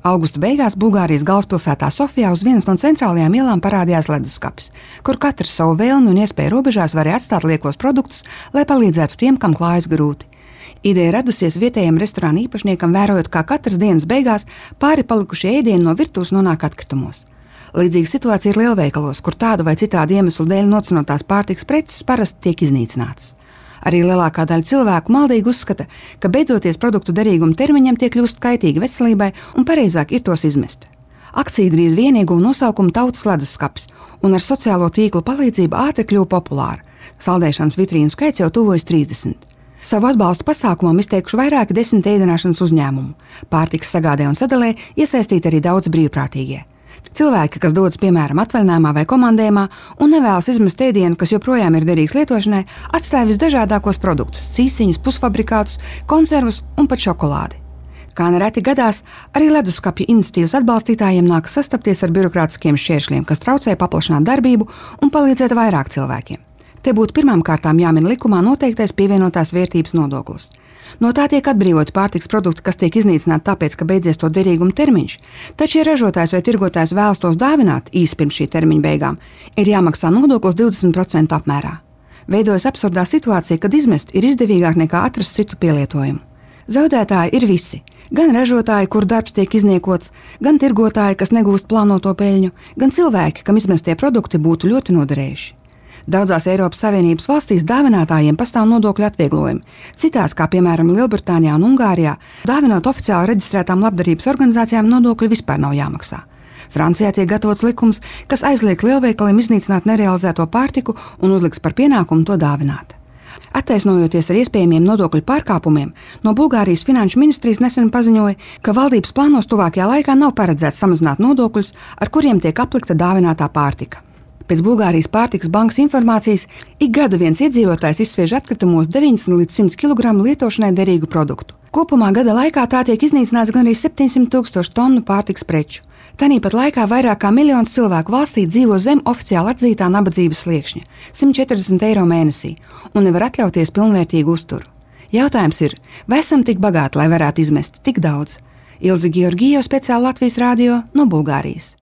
Augusta beigās Bulgārijas galvaspilsētā Sofijā uz vienas no centrālajām ielām parādījās leduskapis, kur katrs savu vēlmi un iespēju robežās varēja atstāt liekos produktus, lai palīdzētu tiem, kam klājas grūti. Ideja radusies vietējiem restorāna īpašniekam, vērojot, kā katras dienas beigās pāri palikušie ēdieni no virtuves nonāk atkritumos. Līdzīga situācija ir lielveikalos, kur tādu vai citādu iemeslu dēļ nocinotās pārtikas preces parasti tiek iznīcinātas. Arī lielākā daļa cilvēku maldīgi uzskata, ka beidzoties produktu derīguma termiņam tie kļūst kaitīgi veselībai un pareizāk ir tos izmest. Akcija drīz vien ieguva nosaukumu Tautas leduskapis un ar sociālo tīklu palīdzību ātri kļuva populāra. Saldēšanas vitrīnu skaits jau tuvojas 30. Savu atbalstu pasākumam izteikuši vairāki 10 ēdināšanas uzņēmumu. Pārtikas sagādē un sadalē iesaistīti arī daudz brīvprātīgie. Cilvēki, kas dodas piemēram atvaļinājumā vai komandējumā un nevēlas izmest ēdienu, kas joprojām ir derīgs lietošanai, atstāja visdažādākos produktus, cīsiņus, pusfabrikātus, konservus un pat šokolādi. Kā nereti gadās, arī leduskapja iniciatīvas atbalstītājiem nākas sastapties ar birokrātiskiem šķēršļiem, kas traucē paplašināt darbību un palīdzēt vairāk cilvēkiem. Te būtu pirmām kārtām jāmin likumā noteiktais pievienotās vērtības nodoklis. No tā tiek atbrīvoti pārtikas produkti, kas tiek iznīcināti tāpēc, ka beidzies to derīguma termiņš, taču, ja ražotājs vai tirgotājs vēlas tos dāvināt īsi pirms šī termiņa beigām, ir jāmaksā nodoklis 20% apmērā. Veidojas absurdā situācija, kad izmest ir izdevīgāk nekā atrast citu pielietojumu. Zaudētāji ir visi. Gan ražotāji, kur darbs tiek izniekots, gan tirgotāji, kas negūst plānoto peļņu, gan cilvēki, kam izmestie produkti būtu ļoti noderējuši. Daudzās Eiropas Savienības valstīs dāvinātājiem pastāv nodokļu atvieglojumi. Citās, kā piemēram Lielbritānijā un Ungārijā, dāvinot oficiāli reģistrētām labdarības organizācijām nodokļi vispār nav jāmaksā. Francijā tiek gatavots likums, kas aizliek lielveikaliem iznīcināt nerealizēto pārtiku un uzliks par pienākumu to dāvināt. Attaisnojoties ar iespējamiem nodokļu pārkāpumiem, no Bulgārijas finanšu ministrijas nesen paziņoja, ka valdības plānos tuvākajā laikā nav paredzēts samazināt nodokļus, ar kuriem tiek aplikta dāvinātā pārtika. Pēc Bulgārijas pārtikas bankas informācijas, ik gadu viens iedzīvotājs izsviež atkritumos 90 līdz 100 kg lietošanai derīgu produktu. Kopumā gada laikā tā tiek iznīcināts gan arī 700 000 tonu pārtikas preču. Tāpat laikā vairāk kā miljons cilvēku valstī dzīvo zem oficiāli atzītā nabadzības sliekšņa – 140 eiro mēnesī un nevar atļauties pilnvērtīgu uzturu. Jautājums ir, vai esam tik bagāti, lai varētu izmest tik daudz? Ilze Georgijeva, speciāli Latvijas radio no Bulgārijas.